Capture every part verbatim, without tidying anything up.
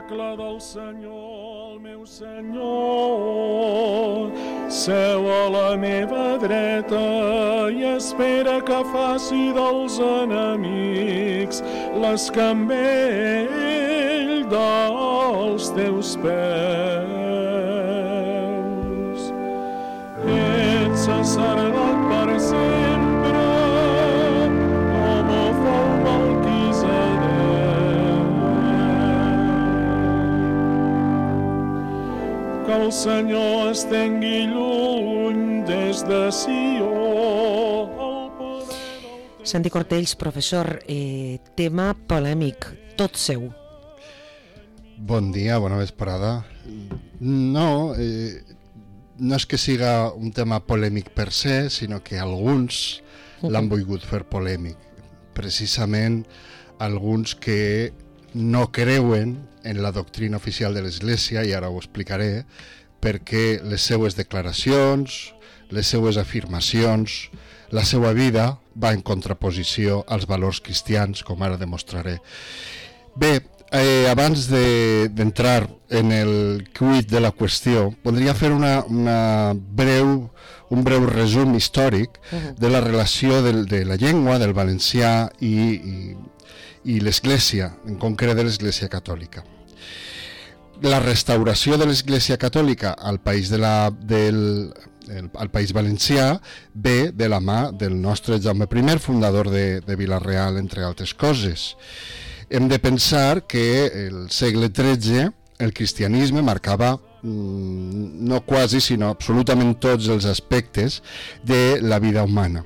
tabernacle del Senyor, el meu Senyor, seu a la meva dreta i espera que faci dels enemics l'escambell dels teus peus. Ets sacerdot per sempre, com ho fou Melquisedec. Que el Senyor estengui lluny des de Sió. Santi Cortells, professor, eh, tema polèmic, tot seu. Bon dia, bona vesprada. No, eh, no és que siga un tema polèmic per se, sinó que alguns l'han volgut fer polèmic. Precisament alguns que no creuen en la doctrina oficial de l'Església, i ara ho explicaré, perquè les seues declaracions, les seues afirmacions, la seva vida va en contraposició als valors cristians, com ara demostraré. Bé, eh, abans d'entrar de, en el quid de la qüestió, voldria fer una, una breu, un breu resum històric de la relació de, de la llengua, del valencià i, i, i l'Església, en concret de l'Església Catòlica. La restauració de l'Església Catòlica al país, de la, del, el, al país valencià ve de la mà del nostre Jaume I, fundador de, de Vila-real, entre altres coses. Hem de pensar que el segle tretze el cristianisme marcava mmm, no quasi, sinó absolutament tots els aspectes de la vida humana.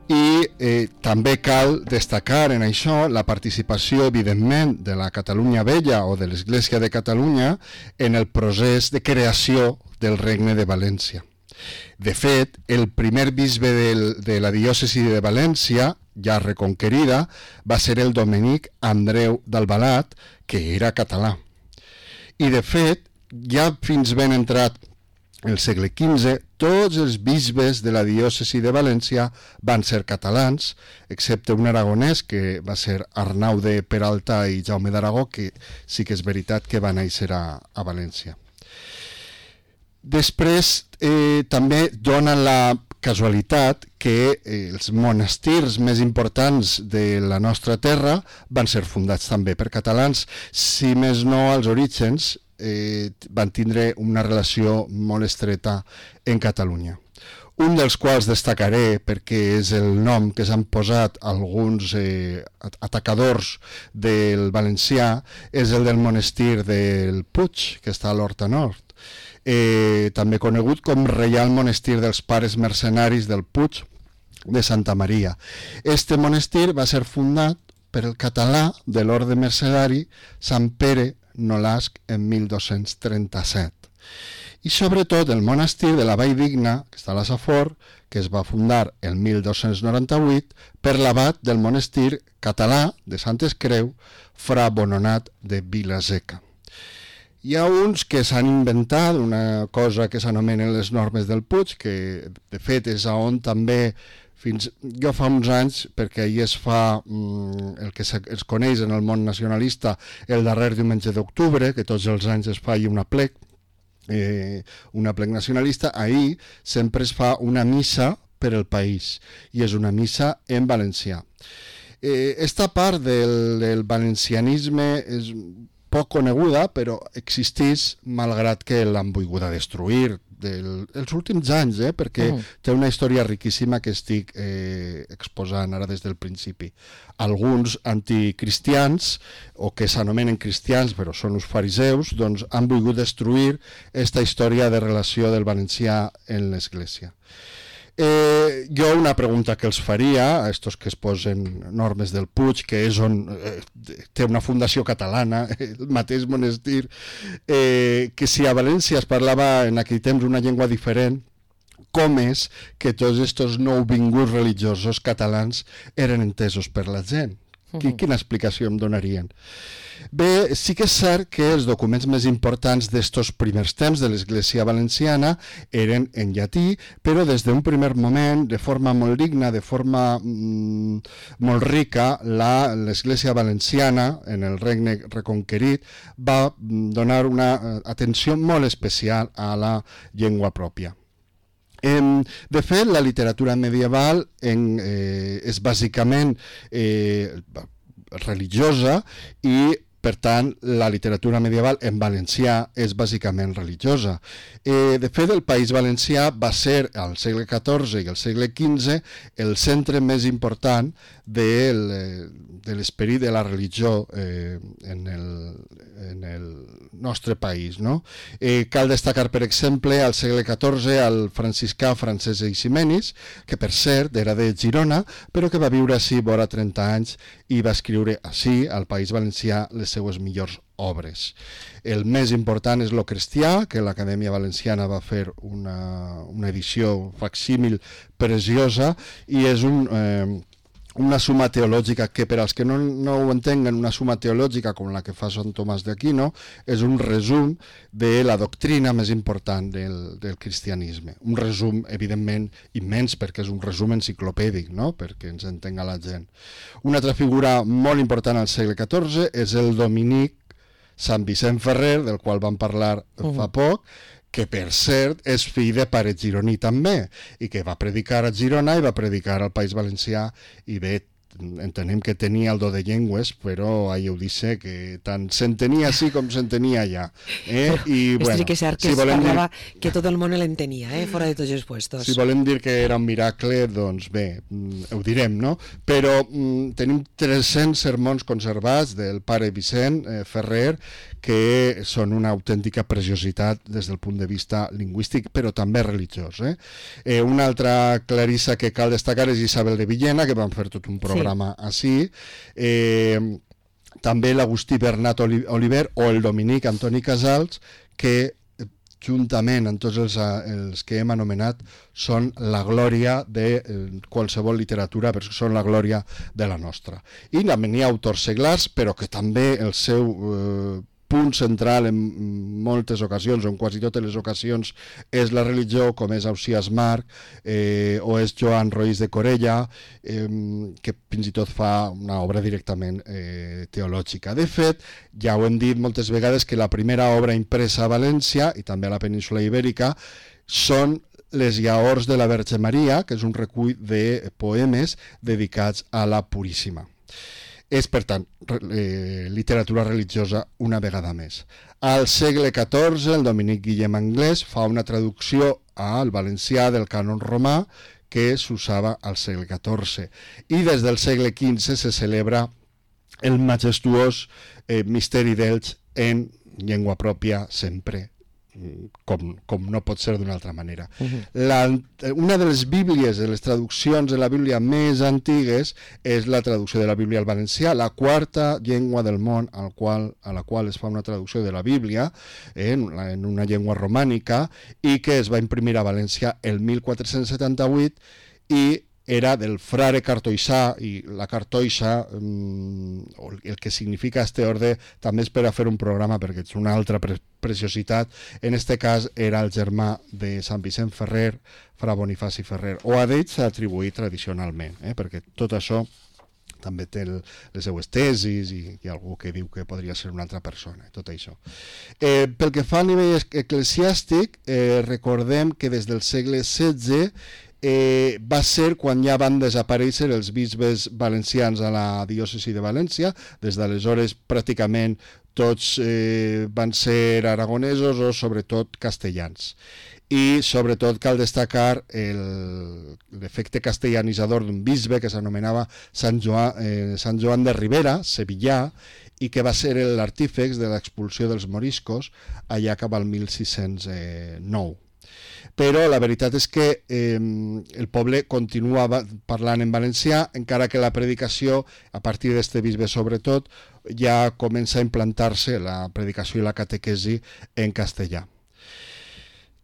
I eh, també cal destacar en això la participació, evidentment, de la Catalunya Vella o de l'Església de Catalunya en el procés de creació del Regne de València. De fet, el primer bisbe del, de la diòcesi de València, ja reconquerida, va ser el dominic Andreu d'Albalat, que era català. I de fet, ja fins ben entrat el segle quinze, tots els bisbes de la diòcesi de València van ser catalans, excepte un aragonès, que va ser Arnau de Peralta i Jaume d'Aragó, que sí que és veritat que va néixer a, a València. Després, eh, també donen la casualitat que eh, els monestirs més importants de la nostra terra van ser fundats també per catalans, si més no als orígens eh, van tindre una relació molt estreta en Catalunya. Un dels quals destacaré, perquè és el nom que s'han posat alguns eh, atacadors del valencià, és el del monestir del Puig, que està a l'Horta Nord. Eh, també conegut com Reial Monestir dels Pares Mercenaris del Puig de Santa Maria. Este monestir va ser fundat per el català de l'orde mercedari Sant Pere Nolasc en mil dos-cents trenta-set. I sobretot el monestir de la Valldigna, que està a la Safor, que es va fundar el mil dos-cents noranta-vuit per l'abat del monestir català de Santes Creu, fra Bononat de Vilaseca. Hi ha uns que s'han inventat una cosa que s'anomenen les normes del Puig, que de fet és on també, fins jo fa uns anys, perquè ahir es fa mm, el que es coneix en el món nacionalista el darrer diumenge d'octubre, que tots els anys es fa ahir una plec, eh, una plec nacionalista, ahir sempre es fa una missa per al país, i és una missa en valencià. Eh, esta part del, del valencianisme és poc coneguda, però existeix malgrat que l'han volguda destruir del, els últims anys, eh? perquè uh-huh. té una història riquíssima que estic eh, exposant ara des del principi. Alguns anticristians, o que s'anomenen cristians però són els fariseus, doncs han volgut destruir aquesta història de relació del valencià en l'Església. Eh, jo una pregunta que els faria a estos que es posen normes del Puig, que és on eh, té una fundació catalana, el mateix monestir, eh, que si a València es parlava en aquell temps una llengua diferent, com és que tots estos nouvinguts religiosos catalans eren entesos per la gent? Quina explicació em donarien? Bé, sí que és cert que els documents més importants d'estos primers temps de l'Església Valenciana eren en llatí, però des d'un primer moment, de forma molt digna, de forma mm, molt rica, l'Església Valenciana, en el Regne Reconquerit, va donar una atenció molt especial a la llengua pròpia. De fet, la literatura medieval en, eh, és bàsicament eh, religiosa i, per tant, la literatura medieval en valencià és bàsicament religiosa. Eh, de fet, el País Valencià va ser, al segle catorze i al segle quinze, el centre més important del, de l'esperit de la religió eh, en, el, en el nostre país. No? Eh, cal destacar, per exemple, al segle catorze, el franciscà Francesc Eiximenis, que per cert era de Girona, però que va viure ací vora trenta anys i va escriure ací, al País Valencià, les seues millors obres. El més important és Lo Cristià, que l'Acadèmia Valenciana va fer una, una edició facsímil preciosa, i és un... Eh, una suma teològica que, per als que no, no ho entenguen, una suma teològica com la que fa Sant Tomàs d'Aquino, és un resum de la doctrina més important del, del cristianisme. Un resum, evidentment, immens, perquè és un resum enciclopèdic, no? Perquè ens entenga la gent. Una altra figura molt important al segle catorze és el dominic Sant Vicent Ferrer, del qual vam parlar uh-huh. fa poc, que per cert és fill de pare gironí també, i que va predicar a Girona i va predicar al País Valencià, i bé, entenem que tenia el do de llengües, però ahí ho dice que tant s'entenia així com s'entenia allà. Eh? I, bueno, sí que és cert que si es parlava dir... que tot el món l'entenia, eh? Fora de tots els puestos. Si volem dir que era un miracle, doncs bé, ho direm, no? Però mm, tenim tres-cents sermons conservats del pare Vicent eh, Ferrer, que són una autèntica preciositat des del punt de vista lingüístic, però també religiós. Eh? Eh, una altra clarissa que cal destacar és Isabel de Villena, que van fer tot un programa sí. així. Eh, també l'Agustí Bernat Oliver o el dominic Antoni Casals, que juntament amb tots els, els que hem anomenat són la glòria de eh, qualsevol literatura, perquè són la glòria de la nostra. I també n'hi ha autors seglars, però que també el seu eh, punt central en moltes ocasions, o en quasi totes les ocasions, és la religió, com és Ausiàs Marc, eh, o és Joan Roís de Corella, eh, que fins i tot fa una obra directament eh, teològica. De fet, ja ho hem dit moltes vegades, que la primera obra impresa a València, i també a la península Ibèrica, són les Llaors de la Verge Maria, que és un recull de poemes dedicats a la Puríssima. És, per tant, eh, literatura religiosa una vegada més. Al segle catorze, el dominic Guillem Anglès fa una traducció al valencià del cànon romà que s'usava al segle catorze. I des del segle quinze se celebra el majestuós eh, misteri d'Elx en llengua pròpia sempre, com, com no pot ser d'una altra manera. Uh-huh. La, una de les bíblies, de les traduccions de la Bíblia més antigues, és la traducció de la Bíblia al valencià, la quarta llengua del món al qual, a la qual es fa una traducció de la Bíblia eh, en, en una llengua romànica, i que es va imprimir a València el mil quatre-cents setanta-vuit, i era del frare cartoixà, i la cartoixa, mm, el que significa este orde, també és per a fer un programa, perquè és una altra pre preciositat. En este cas era el germà de Sant Vicent Ferrer, fra Bonifaci Ferrer, o a d'ell s'ha atribuït tradicionalment, eh, perquè tot això també té el, les seues tesis, i hi ha algú que diu que podria ser una altra persona, tot això. Eh, pel que fa a nivell eclesiàstic, eh, recordem que des del segle setze Eh, va ser quan ja van desaparèixer els bisbes valencians a la diòcesi de València. Des d'aleshores pràcticament tots eh, van ser aragonesos o sobretot castellans. I sobretot cal destacar l'efecte castellanitzador d'un bisbe que s'anomenava Sant Joan, eh, Sant Joan de Ribera, sevillà, i que va ser l'artífex de l'expulsió dels moriscos allà cap al mil sis-cents nou. Però la veritat és que eh, el poble continua parlant en valencià, encara que la predicació, a partir d'este bisbe sobretot, ja comença a implantar-se la predicació i la catequesi en castellà.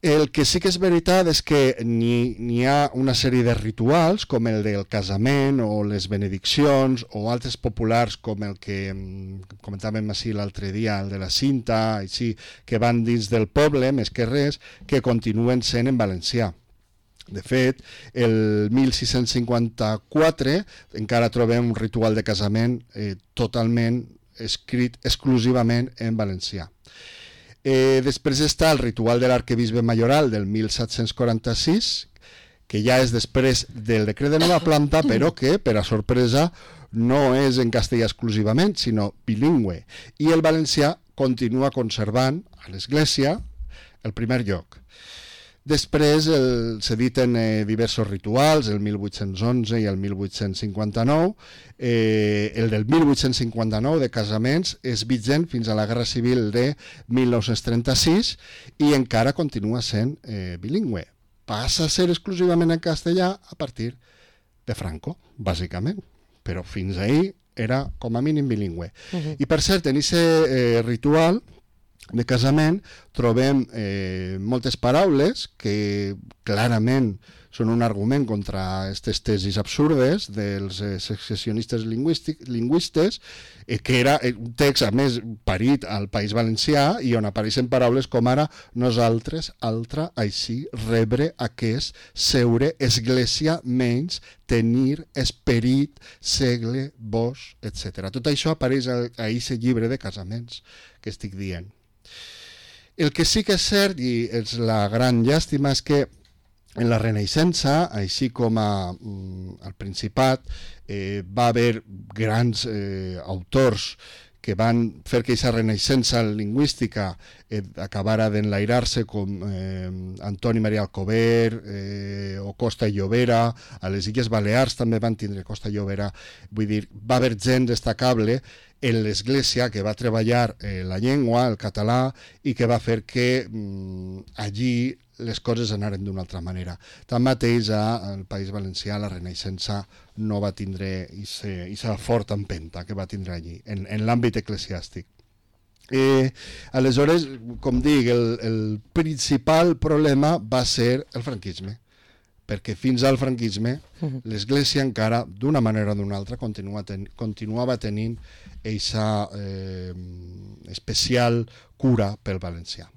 El que sí que és veritat és que n'hi, n'hi ha una sèrie de rituals, com el del casament o les benediccions, o altres populars com el que comentàvem així l'altre dia, el de la cinta, així, que van dins del poble, més que res, que continuen sent en valencià. De fet, el mil sis-cents cinquanta-quatre encara trobem un ritual de casament eh, totalment escrit exclusivament en valencià. Eh, després està el ritual de l'arquebisbe majoral del mil set-cents quaranta-sis, que ja és després del decret de nova planta, però que, per a sorpresa, no és en castellà exclusivament, sinó bilingüe. I el valencià continua conservant a l'Església el primer lloc. Després el, s'editen eh, diversos rituals, el mil vuit-cents onze i el mil vuit-cents cinquanta-nou. Eh, el del mil vuit-cents cinquanta-nou de casaments és vigent fins a la Guerra Civil de mil nou-cents trenta-sis i encara continua sent eh, bilingüe. Passa a ser exclusivament en castellà a partir de Franco, bàsicament, però fins ahir era com a mínim bilingüe. Uh-huh. I per cert, en aquest eh, ritual de casament trobem eh, moltes paraules que clarament són un argument contra aquestes tesis absurdes dels eh, secessionistes lingüistes, eh, que era un text, a més, parit al País Valencià i on apareixen paraules com ara nosaltres, altra, així, rebre, aquest, seure, església, menys, tenir, esperit, segle, vos, etcètera. Tot això apareix a aquest llibre de casaments que estic dient. El que sí que és cert, i és la gran llàstima, és que en la Renaixença, així com a, al Principat, eh, va haver grans eh, autors que van fer que aquesta renaixença lingüística eh, acabara d'enlairar-se, com eh, Antoni Maria Alcover eh, o Costa i Llobera. A les Illes Balears també van tindre Costa i Llobera. Vull dir, va haver gent destacable en l'Església que va treballar eh, la llengua, el català, i que va fer que mm, allí les coses anaren d'una altra manera. Tanmateix, al País Valencià la Renaixença no va tindre aquesta forta empenta que va tindre allí, en, en l'àmbit eclesiàstic. Eh, aleshores, com dic, el, el principal problema va ser el franquisme, perquè fins al franquisme l'Església encara, d'una manera o d'una altra, continua ten, continuava tenint aquesta eh, especial cura pel valencià.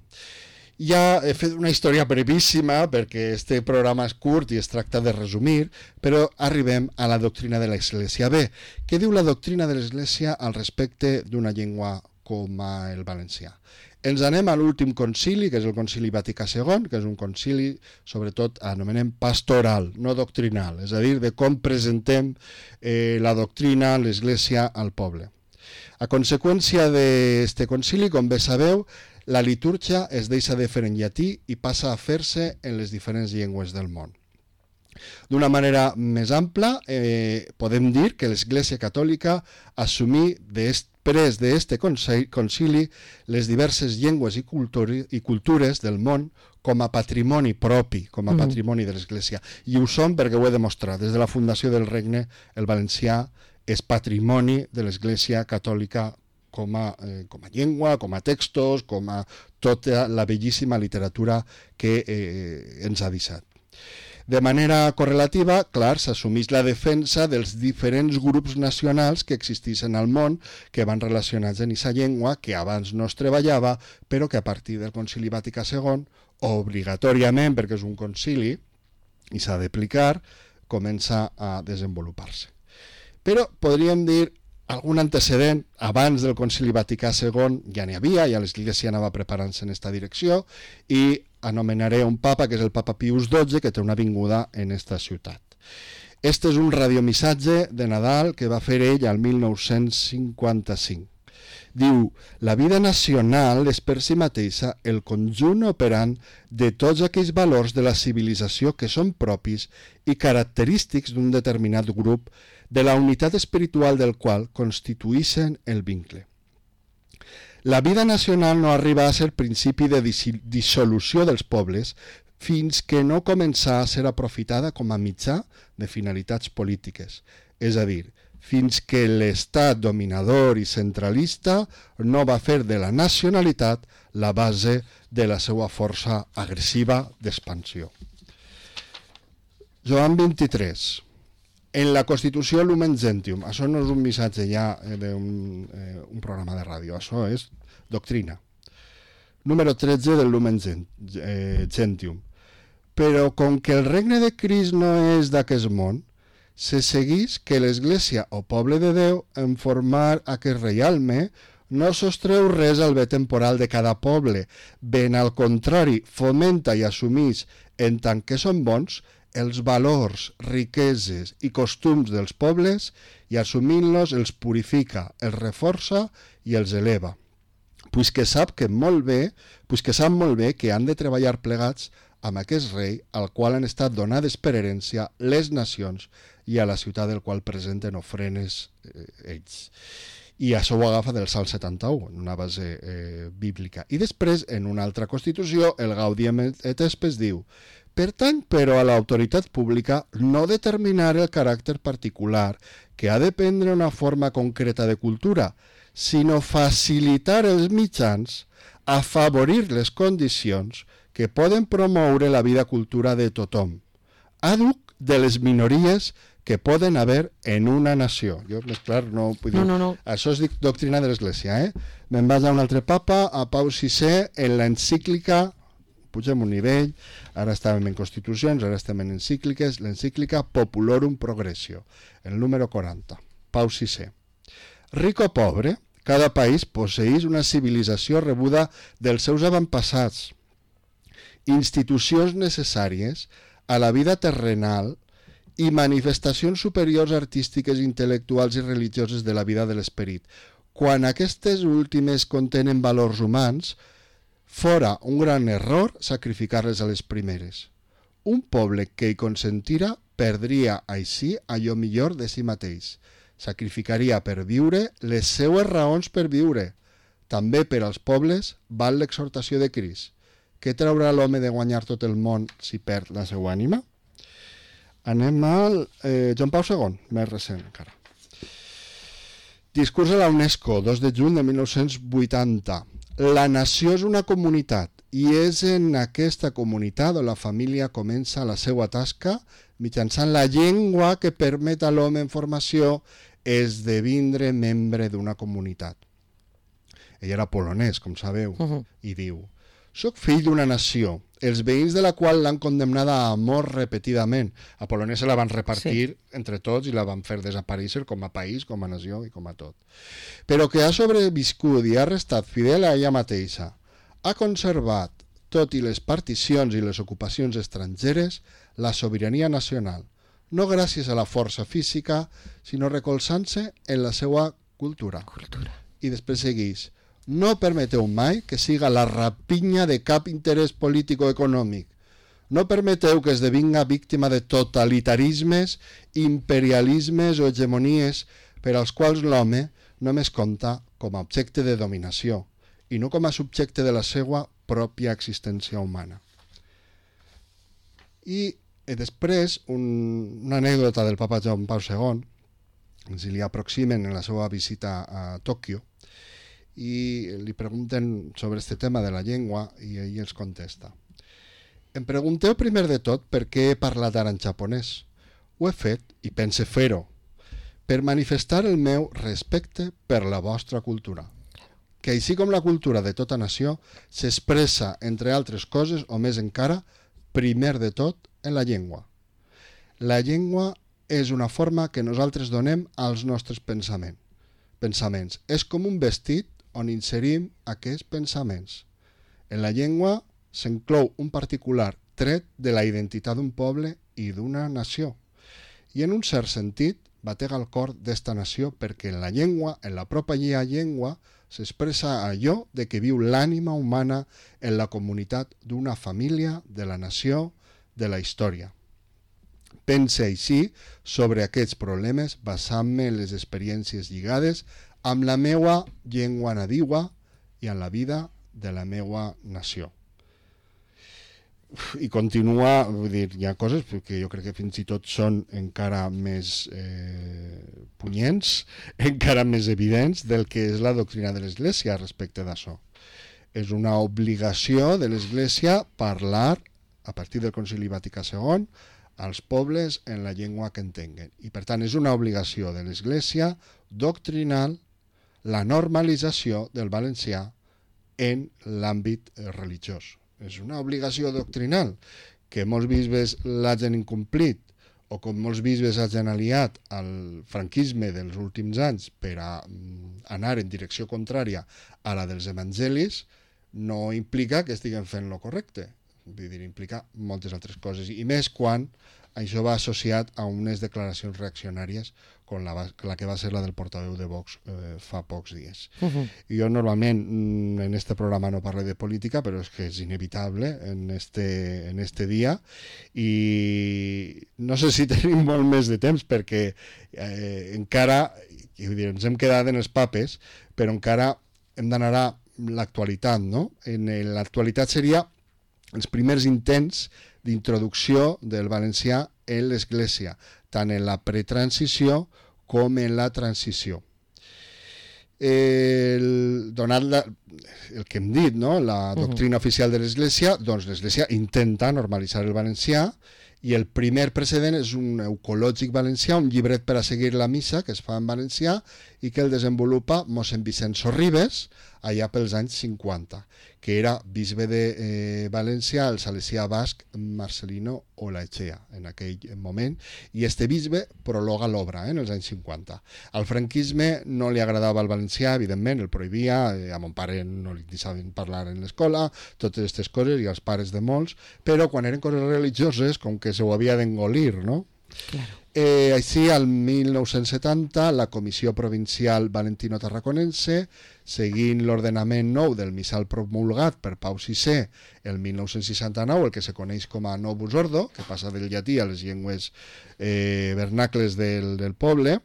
Ja he fet una història brevíssima perquè este programa és curt i es tracta de resumir, però arribem a la doctrina de l'Església. Bé, què diu la doctrina de l'Església al respecte d'una llengua com el valencià? Ens anem a l'últim concili, que és el concili Vaticà segon, que és un concili, sobretot, anomenem pastoral, no doctrinal, és a dir, de com presentem eh, la doctrina, l'Església al poble. A conseqüència d'aquest concili, com bé sabeu, la litúrgia es deixa de fer en llatí i passa a fer-se en les diferents llengües del món. D'una manera més ampla, eh, podem dir que l'Església Catòlica assumí després d'aquest concili les diverses llengües i, culturi, i cultures del món com a patrimoni propi, com a patrimoni de l'Església. I ho són perquè ho he demostrat. Des de la fundació del Regne, el valencià és patrimoni de l'Església Catòlica com a, eh, com a llengua, com a textos, com a tota la bellíssima literatura que eh, ens ha deixat. De manera correlativa, clar, s'assumeix la defensa dels diferents grups nacionals que existeixen al món, que van relacionats en aquesta llengua, que abans no es treballava, però que a partir del Concili Vaticà segon, obligatòriament, perquè és un concili i s'ha d'aplicar, comença a desenvolupar-se. Però podríem dir algun antecedent, abans del Concili Vaticà segon ja n'hi havia, ja l'Església anava preparant-se en aquesta direcció, i anomenaré un papa, que és el papa Pius dotze, que té una vinguda en aquesta ciutat. Este és un radiomissatge de Nadal que va fer ell al mil nou-cents cinquanta-cinc. Diu, la vida nacional és per si mateixa el conjunt operant de tots aquells valors de la civilització que són propis i característics d'un determinat grup, de la unitat espiritual del qual constituïxen el vincle. La vida nacional no arriba a ser principi de dissolució dels pobles fins que no comença a ser aprofitada com a mitjà de finalitats polítiques, és a dir, fins que l'estat dominador i centralista no va fer de la nacionalitat la base de la seva força agressiva d'expansió. Joan vint-i-tres. En la Constitució Lumen Gentium. Això no és un missatge ja d'un eh, un programa de ràdio, això és doctrina. Número tretze del Lumen Gentium. Però com que el regne de Crist no és d'aquest món, se segueix que l'Església o poble de Déu en formar aquest reialme no sostreu res al bé temporal de cada poble, ben al contrari, fomenta i assumeix, en tant que són bons, els valors, riqueses i costums dels pobles i assumint-los els purifica, els reforça i els eleva. Puisque sap que molt bé, puisque sap molt bé que han de treballar plegats amb aquest rei al qual han estat donades per herència les nacions i a la ciutat del qual presenten ofrenes eh, ells. I això ho agafa del Salm setanta-u, en una base eh, bíblica. I després, en una altra Constitució, el Gaudium et Spes diu: pertany, però, a l'autoritat pública no determinar el caràcter particular que ha de prendre una forma concreta de cultura, sinó facilitar els mitjans, afavorir les condicions que poden promoure la vida cultura de tothom, àdhuc de les minories que poden haver en una nació. Jo, més clar, no vull dir... No, no, no. Això és doctrina de l'Església, eh? Me'n vaig a un altre papa, a Pau sisè, en l'encíclica, pugem un nivell, ara estàvem en constitucions, ara estem en encícliques, l'encíclica Populorum Progressio, el número quaranta, Pau sisè. Rico o pobre, cada país posseeix una civilització rebuda dels seus avantpassats, institucions necessàries a la vida terrenal i manifestacions superiors artístiques, intel·lectuals i religioses de la vida de l'esperit. Quan aquestes últimes contenen valors humans, fora un gran error sacrificar-les a les primeres. Un poble que hi consentira perdria així allò millor de si mateix. Sacrificaria per viure les seues raons per viure. També per als pobles val l'exhortació de Crist. Què traurà l'home de guanyar tot el món si perd la seva ànima? Anem al eh, Joan Pau segon, més recent encara. Discurs de la UNESCO, dos de juny de mil nou-cents vuitanta. La nació és una comunitat i és en aquesta comunitat on la família comença la seva tasca mitjançant la llengua que permet a l'home en formació esdevindre membre d'una comunitat. Ell era polonès, com sabeu, uh-huh. i diu: soc fill d'una nació, els veïns de la qual l'han condemnada a mort repetidament. A Polònia se la van repartir sí. entre tots i la van fer desaparèixer com a país, com a nació i com a tot. Però que ha sobreviscut i ha restat fidel a ella mateixa. Ha conservat, tot i les particions i les ocupacions estrangeres, la sobirania nacional, no gràcies a la força física, sinó recolzant-se en la seva cultura. cultura. I després segueix: no permeteu mai que siga la rapinya de cap interès polític o econòmic. No permeteu que esdevinga víctima de totalitarismes, imperialismes o hegemonies per als quals l'home només compta com a objecte de dominació i no com a subjecte de la seva pròpia existència humana. I després, un, una anècdota del papa Joan Pau segon, ens li aproximen en la seva visita a Tòquio, i li pregunten sobre este tema de la llengua i ell els contesta: em pregunteu primer de tot per què he parlat ara en japonès. Ho he fet, i pense fer-ho, per manifestar el meu respecte per la vostra cultura, que així com la cultura de tota nació s'expressa, entre altres coses, o més encara, primer de tot, en la llengua. La llengua és una forma que nosaltres donem als nostres pensaments. pensaments. És com un vestit on inserim aquests pensaments. En la llengua s'inclou un particular tret de la identitat d'un poble i d'una nació. I en un cert sentit, batega el cor d'esta nació perquè en la llengua, en la pròpia llengua, s'expressa allò de que viu l'ànima humana en la comunitat d'una família, de la nació, de la història. Pense així sobre aquests problemes basant-me en les experiències lligades amb la meua llengua nadiua i en la vida de la meua nació. i continua, vull dir, hi ha coses que jo crec que fins i tot són encara més eh, punyents, encara més evidents del que és la doctrina de l'Església respecte d'això. És una obligació de l'Església parlar, a partir del Concili Vaticà segon, als pobles en la llengua que entenguen. I per tant és una obligació de l'Església doctrinal la normalització del valencià en l'àmbit religiós. És una obligació doctrinal que molts bisbes l'hagin incomplit o com molts bisbes hagin aliat al franquisme dels últims anys per a anar en direcció contrària a la dels evangelis, no implica que estiguen fent lo correcte. Vull dir, implica moltes altres coses, i més quan això va associat a unes declaracions reaccionàries com la, la que va ser la del portaveu de Vox eh, fa pocs dies. Uh-huh. Jo normalment en este programa no parlo de política, però és que és inevitable en este, en este dia, i no sé si tenim molt més de temps perquè eh, encara, vull dir, ens hem quedat en els papes, però encara hem d'anar a l'actualitat, no? En l'actualitat seria els primers intents d'introducció del valencià en l'Església, tant en la pretransició com en la transició. El, donat la, el que hem dit, no? La doctrina uh-huh. oficial de l'Església, doncs l'Església intenta normalitzar el valencià, i el primer precedent és un eucològic valencià, un llibret per a seguir la missa que es fa en valencià i que el desenvolupa mossèn Vicent Sorribes allà pels anys cinquanta, que era bisbe de eh, València, el salesià basc Marcelino Olaechea en aquell moment, i este bisbe prologa l'obra eh, en els anys cinquanta. Al franquisme no li agradava el valencià, evidentment, el prohibia, eh, a mon pare no li deixaven parlar en l'escola, totes aquestes coses, i als pares de molts, però quan eren coses religioses, com que se ho havia d'engolir, no? Claro. Eh, així, al mil nou-cents setanta, la Comissió Provincial Valentino-Tarraconense, seguint l'ordenament nou del missal promulgat per Pau sisè el mil nou-cents seixanta-nou, el que se coneix com a Novus Ordo, que passa del llatí a les llengües eh, vernacles del, del poble,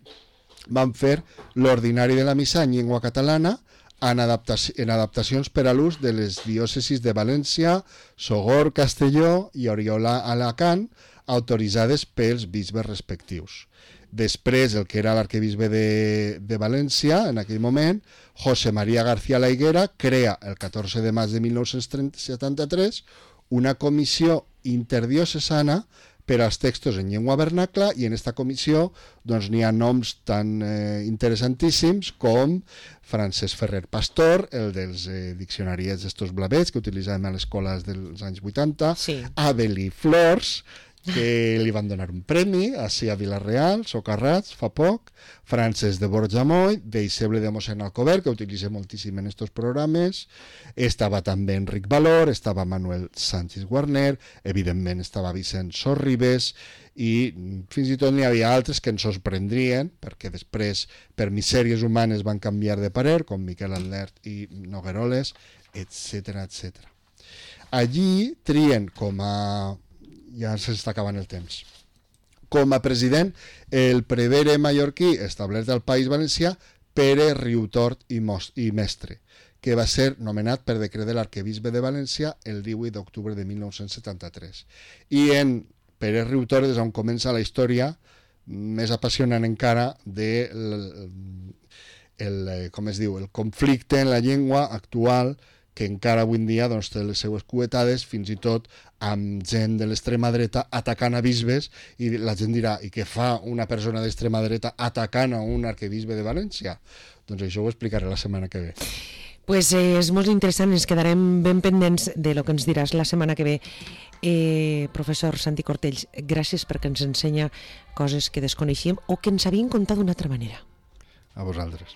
van fer l'ordinari de la missa en llengua catalana, en, adaptaci en adaptacions per a l'ús de les diòcesis de València, Sogorb, Castelló i Oriola-Alacant, autoritzades pels bisbes respectius. Després, el que era l'arquebisbe de, de València, en aquell moment, José María García La Higuera, crea el catorze de maig de mil nou-cents setanta-tres una comissió interdiocesana per als textos en llengua vernacla, i en aquesta comissió doncs, n'hi ha noms tan eh, interessantíssims com Francesc Ferrer Pastor, el dels eh, diccionaris estos blavets que utilitzàvem a les escoles dels anys vuitanta, sí. Abelí Flors, que li van donar un premi, així a Vila-real, Socarrats, fa poc, Francesc de Borjamoll, deixeble de mossèn Alcover, que utilitza moltíssim en estos programes, estava també Enric Valor, estava Manuel Sánchez Guarner, evidentment estava Vicent Sorribes, i fins i tot n'hi havia altres que ens sorprendrien, perquè després, per misèries humanes, van canviar de parer, com Miquel Atlert i Nogueroles, etcètera, etcètera. Allí trien com a... ja s'està acabant el temps. Com a president, el prevere mallorquí establert al País Valencià, Pere Riutort i, i Mestre, que va ser nomenat per decret de l'arquebisbe de València el divuit d'octubre de mil nou-cents setanta-tres. I en Pere Riutort és on comença la història més apassionant encara de el, el, com es diu, el conflicte en la llengua actual, que encara avui en dia doncs, té les seues cuetades, fins i tot amb gent de l'extrema dreta atacant a bisbes, i la gent dirà, i què fa una persona d'extrema dreta atacant a un arquebisbe de València? Doncs això ho explicaré la setmana que ve. Pues eh, és molt interessant, ens quedarem ben pendents de lo que ens diràs la setmana que ve. Eh, professor Santi Cortells, gràcies perquè ens ensenya coses que desconeixíem o que ens havien contat d'una altra manera. A vosaltres.